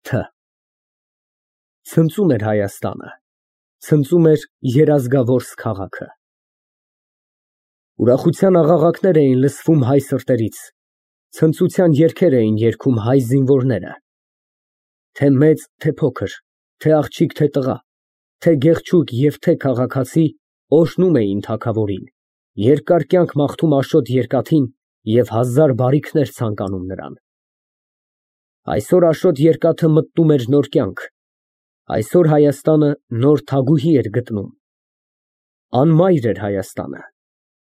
Թ. Ցնծում էր Հայաստանը, ցնծում էր երազգավորս քաղաքը։ Ուրախության աղաղակներ էին լսվում հայ սրտերից, ցնծության երգեր էին երգում հայ զինվորները։ Թե մեծ, թե փոքր, թե աղջիկ, թե տղա, թե գեղեցիկ և թե քաղաքացի օրհնում էին թագավորին, երկար կյանք մաղթում Աշոտ Երկաթին և հազար բարիքներ ցանկանում նրան։ Այսօր Աշոտ Երկաթը մտնում էր նոր կյանք, այսօր Հայաստանը նոր թագուհի էր գտնում։ Անմայր էր Հայաստանը,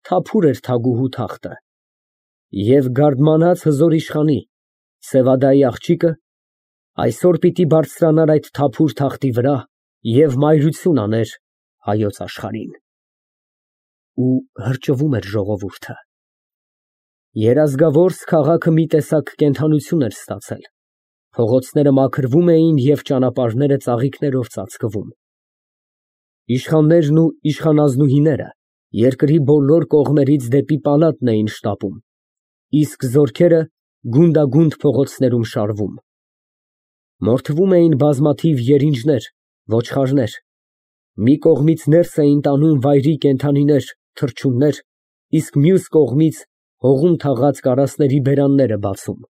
թափուր էր թագուհու թախտը, և գարդմանած հզոր իշխանի Սևադայի աղջիկը այսօր պիտի բարձրանար այդ թափուր թախտի վրա և մայրություն աներ հայոց աշխարհին։ Ու հրճվում էր ժողովուրդը։ Երազգավորս քաղաքը մի տեսակ կենդանություն էր ստացել, փողոցները մաքրվում էին և ճանապարհները ծաղիկներով ծածկվում։ Իշխաններն ու իշխանազնուհիները երկրի բոլոր կողմերից դեպի պալատն էին շտապում, իսկ զորքերը գունդագունդ փողոցներում շարվում։ Մորթվում էին բազմաթիվ երինջներ, ոչխարներ, մի կողմից ներս էին տանում վայրի կենդանիներ, թռչուններ, իսկ մյուս կողմից հողում թաղած կարասների բերանները բացում։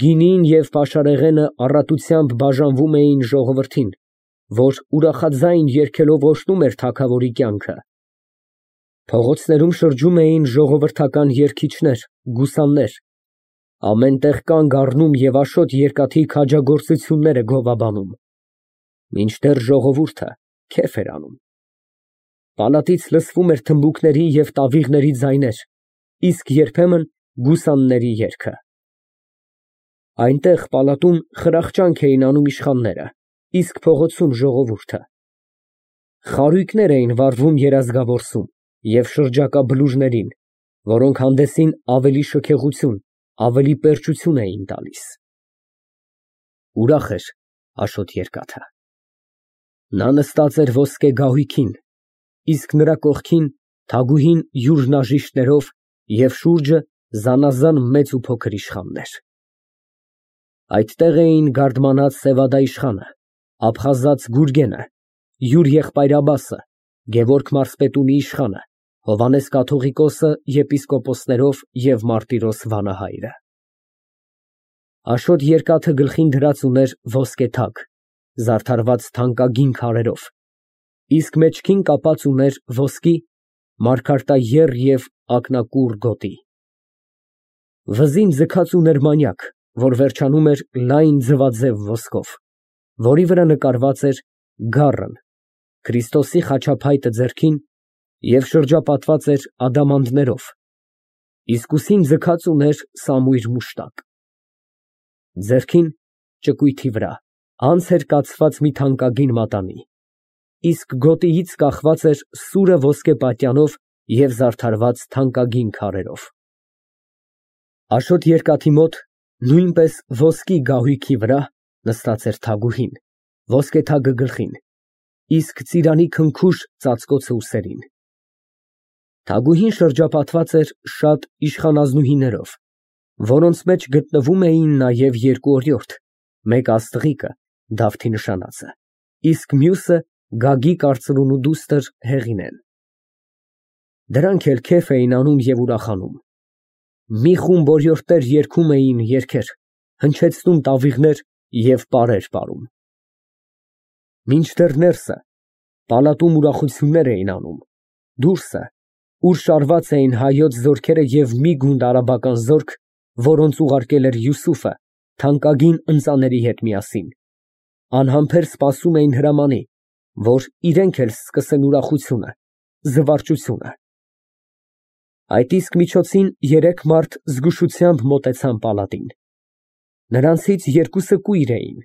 Գինին և պաշարեղենը առատությամբ բաժանվում էին ժողովրդին, որ ուրախաձայն երգելով օրհնում էր թագավորի կյանքը։ Փողոցներում շրջում էին ժողովրդական երգիչներ, գուսաններ, ամեն տեղ կանգ առնում և Աշոտ Երկաթի քաջագործությունները գովաբանում, մինչդեռ ժողովուրդը քեֆ էր անում։ Պալատից լսվում էր թմբուկների և տավիղների ձայներ, իսկ երբեմն գուսանների երգը։ Այնտեղ պալատում խրախճանք էին անում իշխանները, իսկ փողոցում ժողովուրդը։ Խարույկներ էին վառվում երազգավորսում և շրջակա բլուրներին, որոնք հանդեսին ավելի շքեղություն, ավելի պերճություն էին տալիս։ Ուրախ էր Աշոտ Երկաթը։ Նա նստած էր ոսկե գահույքին, իսկ նրա կողքին թագուհին յուր հնաժիշտներով և շուրջը զանազան մեծ ու փոքր իշխաններ։ Այդտեղ էին գարդմանած Սևադա իշխանը, Աբխազած Գուրգենը, յուր եղբայր Աբասը, Գևորգ մարզպետունի իշխանը, Հովհաննես կաթողիկոսը եպիսկոպոսներով և Մարտիրոս վանահայրը։ Աշոտ Երկաթը գլխին դրած ուներ ոսկե թագ, զարդարված թանկագին քարերով, իսկ մեջքին կապած ուներ ոսկի, մարգարտաեռ և ակնակուռ գոտի։ Վզին ձգած ուներ մանյակ, որ վերջանում էր լայն ձվաձև ոսկով, որի վրա նկարված էր գառն, Քրիստոսի խաչափայտը ձեռքին և շրջապատված էր ադամանդներով, իսկ ուսին ձգած ուներ սամույր մուշտակ։ Ձեռքին, ճկույթի վրա, անց էր կացված մի թանկագին մատանի, իսկ գոտիից կախված էր սուրը ոսկե պատյանով և զարդարված թանկագին քարերով։ Աշոտ Երկաթի մոտ նույնպես ոսկի գահույքի վրա նստած էր թագուհին, ոսկե թագը գլխին, իսկ ծիրանի քնքուշ ծածկոցը ուսերին։ Թագուհին շրջապատված էր շատ իշխանազնուհիներով, որոնց մեջ գտնվում էին նաև երկու օրիորդ, մեկը աստղիկը, Դավթի նշանածը, իսկ մյուսը Գագիկ արծրունու դուստր Հեղինեն։ Դրանք էլ քեֆ էին անում և ուրախանում։ Մի խումբ օրիորդներ երգում էին երգեր, հնչեցնում տավիղներ և պարեր պարում։ Մինչդեռ ներսը պալատում ուրախություններ էին անում, դուրսը, ուր շարված էին հայոց զորքերը և մի գունդ արաբական զորք, որոնց ուղարկել էր Յուսուֆը թանկագին ընծաների հետ միասին, անհամբեր սպասում էին հրամանի, որ իրենք էլ սկսեն ուրախությունը, զվարճությունը։ Այդ իսկ միջոցին երեք մարդ զգուշությամբ մոտեցան պալատին։ Նրանցից երկուսը կույր էին,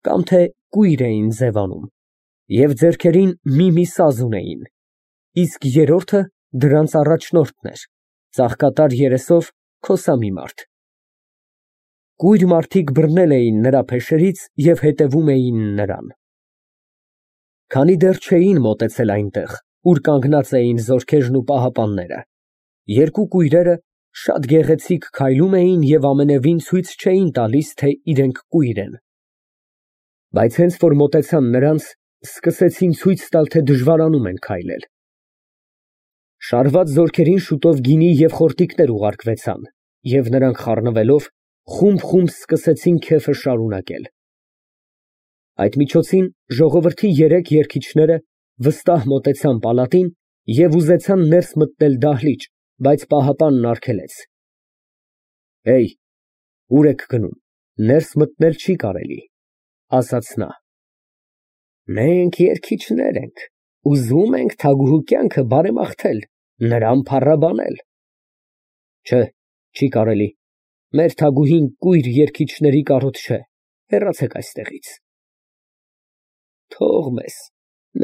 կամ թե կույր էին ձևանում, և ձեռքերին մի սազ ունեին, իսկ երրորդը դրանց առաջնորդն էր, ծաղկատար երեսով, քոսամի մարդ։ Կույր մարդիկ բռնել էին նրա փեշերից և հետևում էին նրան։ Քանի դեռ չէին մոտեցել այնտեղ, ուր կանգնած էին զորքերն ու պահապանները, երկու կույրերը շատ գեղեցիկ քայլում էին և ամենևին ցույց չէին տալիս, թե իրենք կույր են։ Բայց հենց որ մոտեցան նրանց, սկսեցին ցույց տալ, թե դժվարանում են քայլել։ Շարված զորքերին շուտով գինի և խորտիկներ ուղարկվեցան, և նրանք խառնվելով, խումբ սկսեցին քեֆը շարունակել։ Այդ միջոցին ժողովրդի երեք երգիչները վստահ մոտեցան պալատին և ուզեցան ներս մտնել դահլիճ, բայց պահապանն արգելեց։ Ուր եք գնում, ներս մտնել չի կարելի, ասաց նա։ Մենք երգիչներ ենք, ուզում ենք թագուհու կյանքը բարեմաղթել, նրան փառաբանել։ Չէ, չի կարելի, մեր թագուհին կույր երգիչների կարոտ չէ, հեռացեք այստեղից։ Թող մեզ,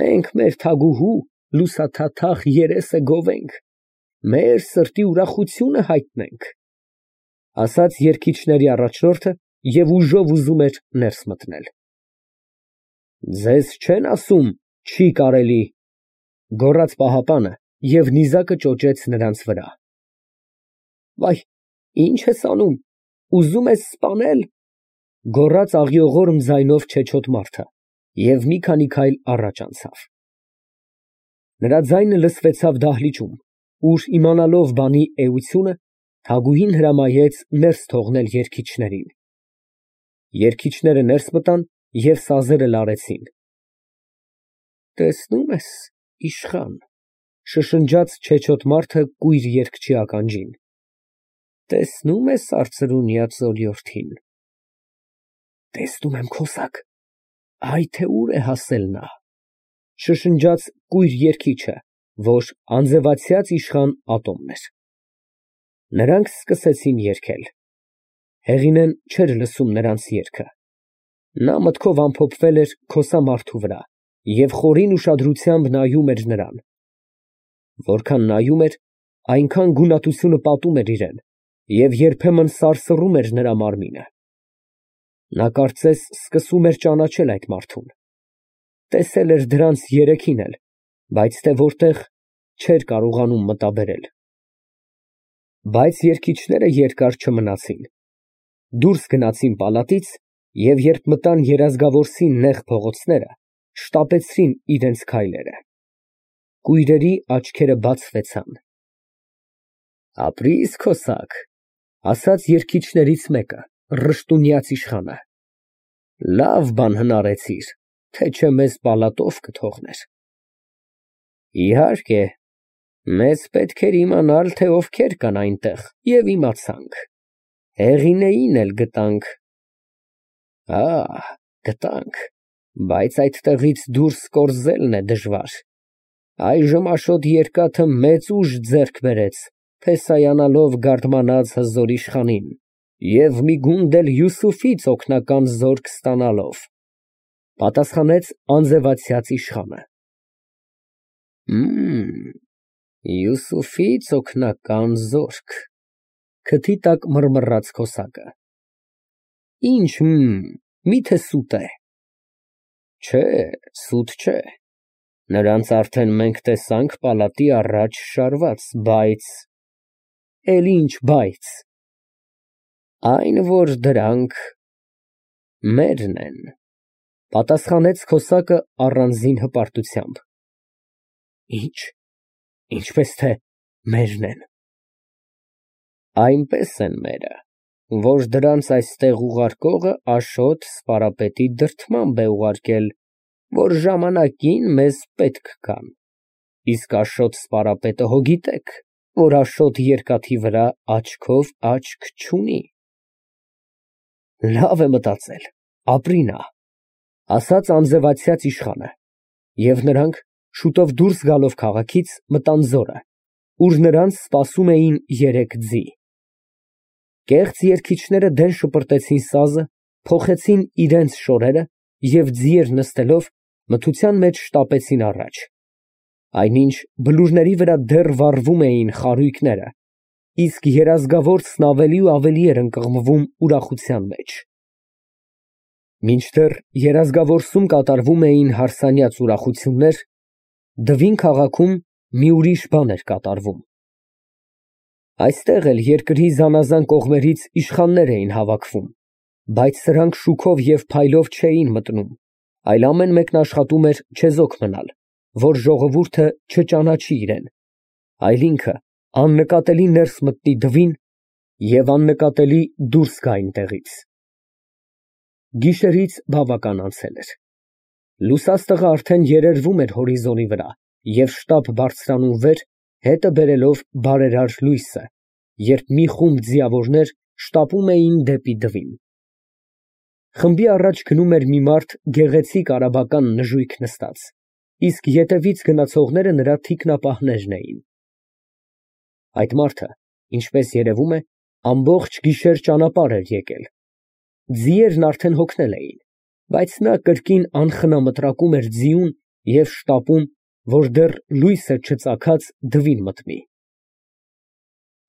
մենք մեր թագուհու լուսաթաթախ երեսը գովենք, մեր սրտի ուրախությունը հայտնենք, ասաց երգիչների առաջնորդը և ուժով ուզում էր ներս մտնել։ Ձեզ չեն ասում չի կարելի, գոռաց պահապանը և նիզակը ճոճեց նրանց վրա։ Վայ, ինչ ես անում, ուզում ես սպանել, գոռաց աղյողորմ ձայնով չեչոտ մարդը և մի քանի քայլ առաջ անցավ։ Նրա ձայնը լսվեցավ դահլիճում, ուր իմանալով բանի էությունը, թագուհին հրամայեց ներս թողնել երգիչներին։ Երգիչները ներս մտան և սազերը լարեցին։ Տեսնում ես, իշխան, շշնջաց չեչոտ մարդը կույր երգչի ականջին, տեսնում ես արծրունյա ծոլյորդին։ Տեսնում եմ, քոսակ, այ թե ուր է հասել նա, շշնջաց կույր երգիչը, որ անձևացյաց իշխան Ատոմն էր։ Նրանք սկսեցին երգել։ Հեղինեն չէր լսում նրանց երգը։ Նա մտքով ամփոփվել էր քոսամարդու վրա և խորին ուշադրությամբ նայում էր նրան։ Որքան նայում էր, այնքան գունատությունը պատում էր իրան և երբեմն սարսռում էր նրա մարմինը։ Նա կարծես սկսում էր ճանաչել այդ մարդուն։ Տեսել էր դրանց երեքին էլ, բայց թե որտեղ չէր կարողանում մտաբերել։ Բայց երգիչները երկար չմնացին։ Դուրս գնացին պալատից և երբ մտան Երազգավորսի նեղ փողոցները, շտապեցրին իրենց քայլերը։ Կույրերի աչքերը բացվեցան։ Ապրի՛ս, քոսակ, ասաց երգիչներից մեկը, ռշտունյաց իշխանը։ Լավ բան հնարեցիր, թե չէ մեզ պալատով կթողներ։ Իհարկե, մեզ պետք էր իմանալ, թե ովքեր կան այնտեղ, և իմացանք, Հեղինեին էլ գտանք։ Գտանք, բայց այդտեղից դուրս կորզելն է դժվար։ Այժմ Աշոտ Երկաթը մեծ ուժ ձեռք բերեց, փեսայանալով գարդմանած հզոր իշխանին և մի գունդ էլ Յուսուֆից օգնական զորք ստանալով, պատասխանեց անձևացյաց իշխանը։ Յուսուֆից օգնական զորք, քթի տակ մռմռաց քոսակը։ Ինչ միթե սուտ է։ Չէ, սուտ չէ, նրանց արդեն մենք տեսանք պալատի առաջ շարված, բայց… Էլ ինչ բայց։ Այն, որ դրանք մերն են, պատասխանեց քոսակը առանձին հպարտությամբ։ Ինչպես թե մերն են։ Այնպես են մերը, որ դրանց այստեղ ուղարկողը Աշոտ Սպարապետի դրդմամբ է ուղարկել, որ ժամանակին մեզ պետք գան, իսկ Աշոտ Սպարապետը հո գիտեք, որ Աշոտ Երկաթի վրա աչքով աչք չունի։ Լավ է մտածել, ապրի նա, ասաց անձևացյաց իշխանը, և նրանք շուտով դուրս գալով քաղաքից մտան ձորը, ուր նրանց սպասում էին երեք ձի։ Կեղծ երգիչները դեն շպրտեցին սազը, փոխեցին իրենց շորերը և ձիեր նստելով մթության մեջ շտապեցին առաջ, այնինչ բլուրների վրա դեռ վառվում էին խարույկները, իսկ Երազգավորսն ավելի ու ավելի էր ընկղմվում ուրախության մեջ։ Մինչդեռ Երազգավորսում կատարվում էին հարսանյաց ուրախություններ, Դվին քաղաքում մի ուրիշ բան էր կատարվում։ Այստեղ էլ երկրի զանազան կողմերից իշխաններ էին հավաքվում, բայց սրանք շուքով և փայլով չէին մտնում, այլ ամեն մեկն աշխատում էր չեզոք մնալ, որ ժողովուրդը չճանաչի իրան, այլ ինքը աննկատելի ներս մտնի դվին և աննկատելի դուրս գա այնտեղից։ Գիշերից բավական անցել էր։ Լուսաստղը արդեն երերվում էր հորիզոնի վրա և շտապ բարձրանում վեր, հետը բերելով բարերար լույսը, երբ մի խումբ ձիավորներ շտապում էին դեպի դվին։ Խմբի առաջ գնում էր մի մարդ գեղեցիկ արաբական նժույգ նստած, իսկ ետևից գնացողները նրա թիկնապահներն էին։ Այդ մարդը, ինչպես երևում է, ամբողջ գիշեր ճանապարհ էր եկել։ Ձիերն արդեն հոգնել էին, բայց նա կրկին անխնամտրակում էր ձիուն և շտապում, որ դեռ լույսը չծագած դվին մտնի։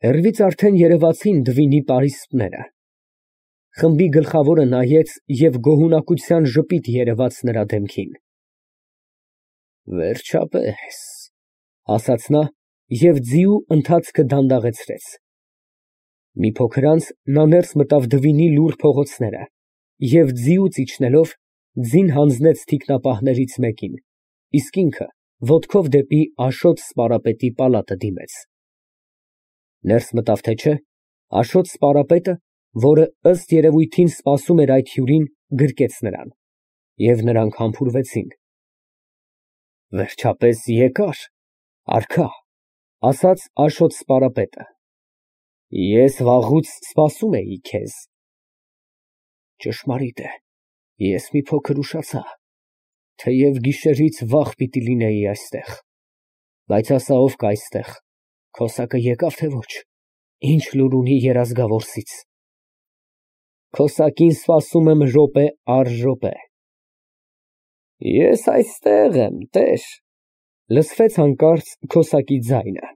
Հեռվից արդեն երևացին դվինի պարիսպները։ Խմբի գլխավորը նայեց և գոհունակության ժպիտ երևաց նրա դեմքին։ Վերջապես, ասաց նա և ձիու ընթացքը դանդաղեցրեց։ Մի փոքր անց նա ներս մտավ դվինի լուռ փողոցները և ձիուց իջնելով ձին հանձնեց թիկնապահներից մեկին, իսկ ինքը ոտքով դեպի Աշոտ սպարապետի պալատը դիմեց։ Ներս մտավ թե չէ, Աշոտ սպարապետը, որը ըստ երևույթին սպասում էր այդ հյուրին, գրկեց նրան, և նրանք համբուրվեցին։ Վերջապես եկար, արքա, ասաց Աշոտ սպարապետը։ Ես վաղուց սպասում էի քեզ։ Ճշմարիտ է, ես մի փոքր ուշացա, թեև գիշերից վաղ պիտի լինեի այստեղ, բայց ասա ով կա այստեղ, քոսակը եկավ թե ոչ, ինչ լուր ունի երազգավորսից։ Քոսակին սպասում եմ րոպե առ րոպե։ Ես այստեղ եմ, տեր, լսվեց հանկարծ քոսակի ձայնը։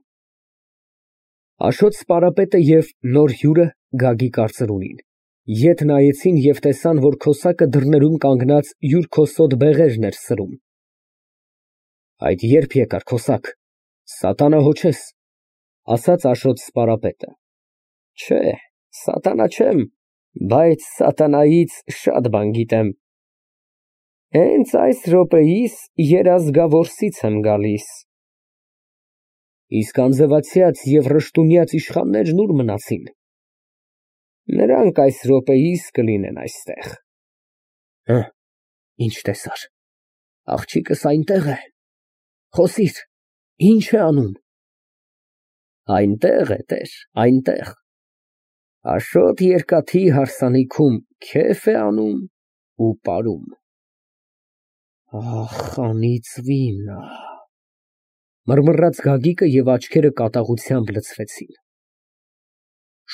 Աշոտ սպարապետը և նոր հյուրը Գագիկ կարծրունին ետ նայեցին և տեսան, որ քոսակը դռներում կանգնած յուր քոսոտ բեղերն էր սրում։ Այդ ե՞րբ եկար, քոսակ, սատանահոչես, ասաց Աշոտ սպարապետը։ Չէ, սատանա չեմ, բայց սատանայից շատ բան գիտեմ։ Հենց այս րոպեիս երազգավորսից եմ գալիս։ Իսկ անձևացյաց և ռշտունյաց իշխաններն ուր մնացին։ Նրանք այս րոպեիս կլինեն այստեղ։ Ինչ տեսար։ Աղջիկս այնտեղ է։ Խոսիր, ինչ է անում։ Այնտեղ է, տեր, այնտեղ։ Աշոտ երկաթի հարսանիքում քեֆ է անում ու պարում։ Ախ, անիծվինա, մռմռաց Գագիկը և աչքերը կատաղությամբ լցվեցին։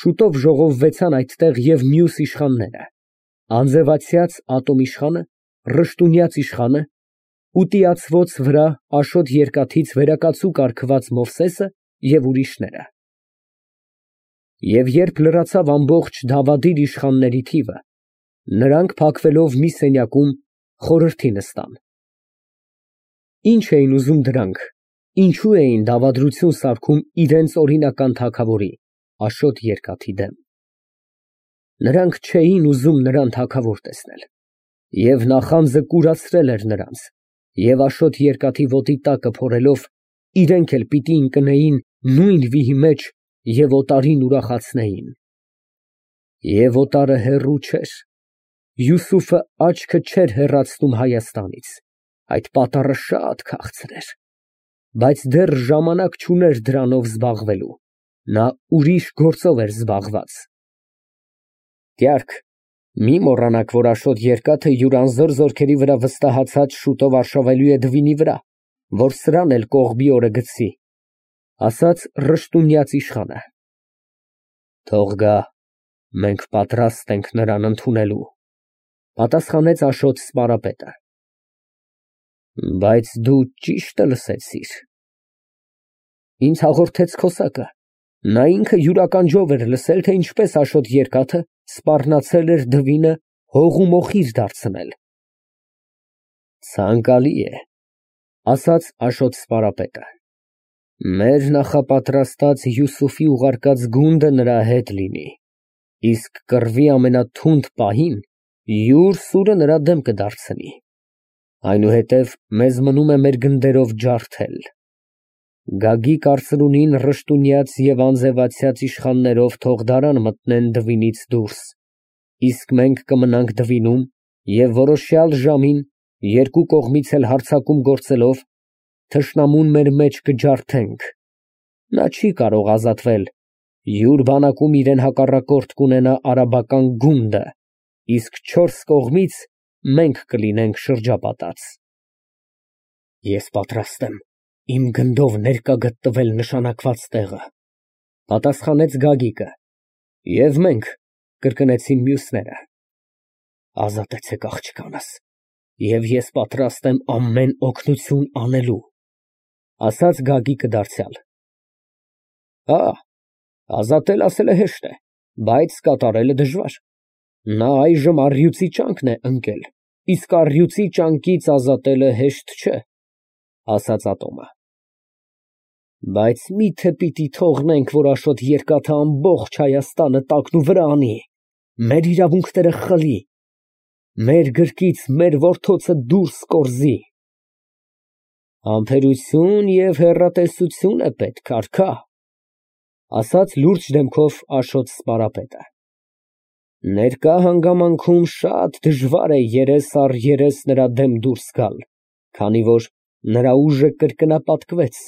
Շուտով ժողովվեցան այդտեղ և մյուս իշխանները, անձևացյաց ատոմիշխանը, ռշտունյաց իշխանը, ուտիացվոց վրա Աշոտ երկաթից վերակացու կարգված Մովսեսը և ուրիշները։ Եվ երբ լրացավ ամբողջ դավադիր իշխանների թիվը, նրանք փակվելով մի սենյակում խորհրդի նստան։ Ինչ էին ուզում դրանք, ինչու էին դավադրություն սարքում իրենց օրինական թագավորի՝ Աշոտ երկաթի դեմ։ Նրանք չէին ուզում նրան թագավոր տեսնել, և նախանձը կուրացրել էր նրանց, և Աշոտ երկաթի ոտի տակը փորելով, իրենք էլ պիտի ընկնեին նույն վիհի մեջ և օտարին ուրախացնեին։ Եվ օտարը հեռու չէր, Յուսուֆը աչքը չէր հեռացնում Հայաստանից, այդ պատառը շատ քաղցր էր, բայց դեռ ժամանակ չուներ դրանով զբաղվելու, նա ուրիշ գործով էր զբաղված։ Կյարք, մի մոռանաք, որ Աշոտ երկաթը յուր անզոր զորքերի վրա վստահացած շուտով արշավելու է դվինի վրա, որ սրան էլ կողբի օրը գցի, ասաց ռշտունյաց իշխանը։ Թող գա, մենք պատրաստ ենք նրան ընդունելու, պատասխանեց Աշոտ սպարապետը։ Բայց դու ճիշտը լսեցիր։ Ինձ հաղորդեց քոսակը, նա ինքը յուր ականջով էր լսել, թե ինչպես Աշոտ երկաթը սպառնացել էր դվինը հող ու մոխիր դարձնել։ Ցանկալի է, ասաց Աշոտ սպարապետը։ Մեր նախապատրաստած Յուսուֆի ուղարկած գունդը նրա հետ լինի, իսկ կռվի ամենաթունդ պահին յուր սուրը նրա դեմ կդարձնի։ Այնուհետև մեզ մնում է մեր գնդերով ջարդել։ Գագիկ արծրունին ռշտունյաց և անձևացյաց իշխաններով թող դարան մտնեն դվինից դուրս, իսկ մենք կմնանք դվինում և որոշյալ ժամին, երկու կողմից էլ հարձակում գործելով, թշնամուն մեր մեջ կջարդենք։ Նա չի կարող ազատվել, յուր բանակում իրան հակառակորդ կունենա արաբական գունդը, իսկ չորս կողմից մենք կլինենք շրջապատած։ Ես պատրաստ եմ իմ գնդով ներկա գտնվել նշանակված տեղը, պատասխանեց Գագիկը։ Եվ մենք, կրկնեցին մյուսները։ Ազատեցեք աղջկանս, և ես պատրաստ եմ ամեն օգնություն անելու, ասաց Գագիկը դարձյալ։ Հա, ազատել ասելը հեշտ է, բայց կատարելը դժվար։ Նա այժմ առյուծի ճանկն է ընկել, իսկ առյուծի ճանկից ազատելը հեշտ չէ, ասաց Ատոմը։ Բայց մի՞թե պիտի թողնենք, որ Աշոտ Երկաթը ամբողջ Հայաստանը տակնուվրա անի, մեր իրավունքները խլի, մեր գրկից մեր որդոցը դուրս կորզի։ Համբերություն և հեռատեսություն է պետք, արքա, ասաց լուրջ դեմքով Աշոտ Սպարապետը։ Ներկա հանգամանքում շատ դժվար է երես առ երես նրա դեմ դուրս գալ, քանի որ նրա ուժը կրկնապատկվեց։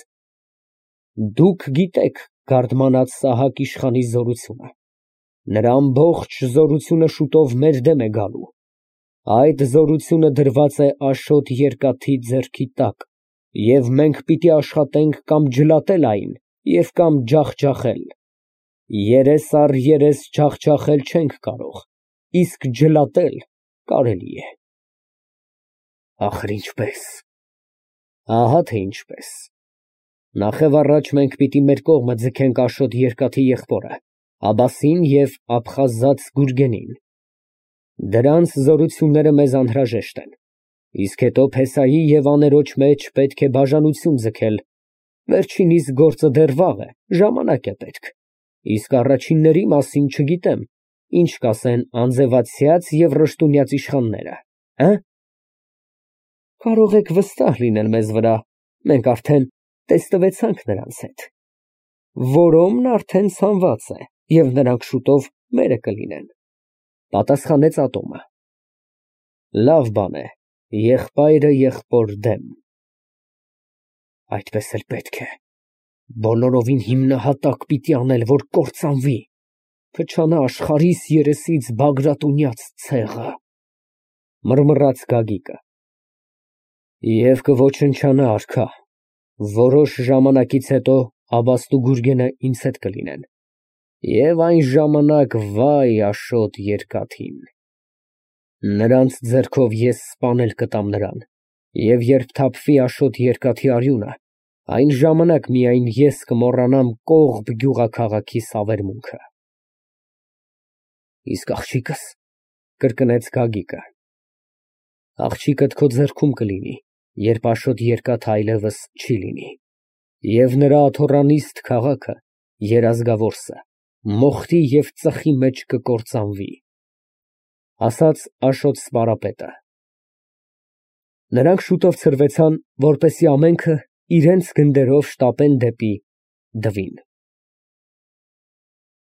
Դուք գիտեք Գարդմանած Սահակ իշխանի զորությունը։ Նրա ամբողջ զորությունը շուտով մեր դեմ է գալու։ Այդ զորությունը դրված է Աշոտ Երկաթի ձեռքի տակ, և մենք պիտի աշխատենք կամ ջլատել այն և կամ ջախջախել։ Երես առ երես ջախջախել չենք կարող, իսկ ջլատել կարելի է։ Ախր ինչպես։ Ահա թե ինչպես։ Նախևառաջ մենք պիտի մեր կողմը ձգենք Աշոտ Երկաթի եղբորը Աբասին և Աբխազած Գուրգենին։ Դրանց զորությունները մեզ անհրաժեշտ են, իսկ հետո Փեսայի և աներոջ մեջ պետք է բաժանություն ձգել, վերջինիս գործը դեռ վաղ է, ժամանակ է պետք, իսկ առաջինների մասին չգիտեմ, ինչ կասեն անձևացյաց և ռշտունյաց իշխանները, Կարող եք վստահ լինել մեզ վրա, մենք արդեն տեստվեցանք նրանց հետ։ Որոմն արդեն ցանված է, և նրանք շուտով մերը կլինեն, պատասխանեց Ատոմը։ Լավ բան է, եղբայրը եղբոր դեմ։ Այդպես էլ պետք է, բոլորովին հիմնահատակ պիտի անել, որ կործանվի, փչանա աշխարհիս երեսից Բագրատունյաց ցեղը, մռմռաց Գագիկը։ Եվ կոչնչանա, արքա, որոշ ժամանակից հետո Աբաստ ու Գուրգենը ինձ հետ կլինեն, և այն ժամանակ վայ Աշոտ Երկաթին։ Նրանց ձեռքով ես սպանել կտամ նրան, և երբ թափվի Աշոտ Երկաթի արյունը, այն ժամանակ միայն ես կմոռանամ Կողբ գյուղաքաղաքի սավերմունքը։ Իսկ աղջիկս, կրկնեց Գագիկը։ Աղջիկդ քո ձեռքում կլինի, երբ Աշոտ Երկաթը այլևս չի լինի, և նրա աթոռանիստ քաղաքը, Երազգավորսը, մոխրի և ծխի մեջ կկործանվի, ասաց Աշոտ Սպարապետը։ Նրանք շուտով ցրվեցան, որպեսզի ամենքը իրենց գնդերով շտապեն դեպի Դվին։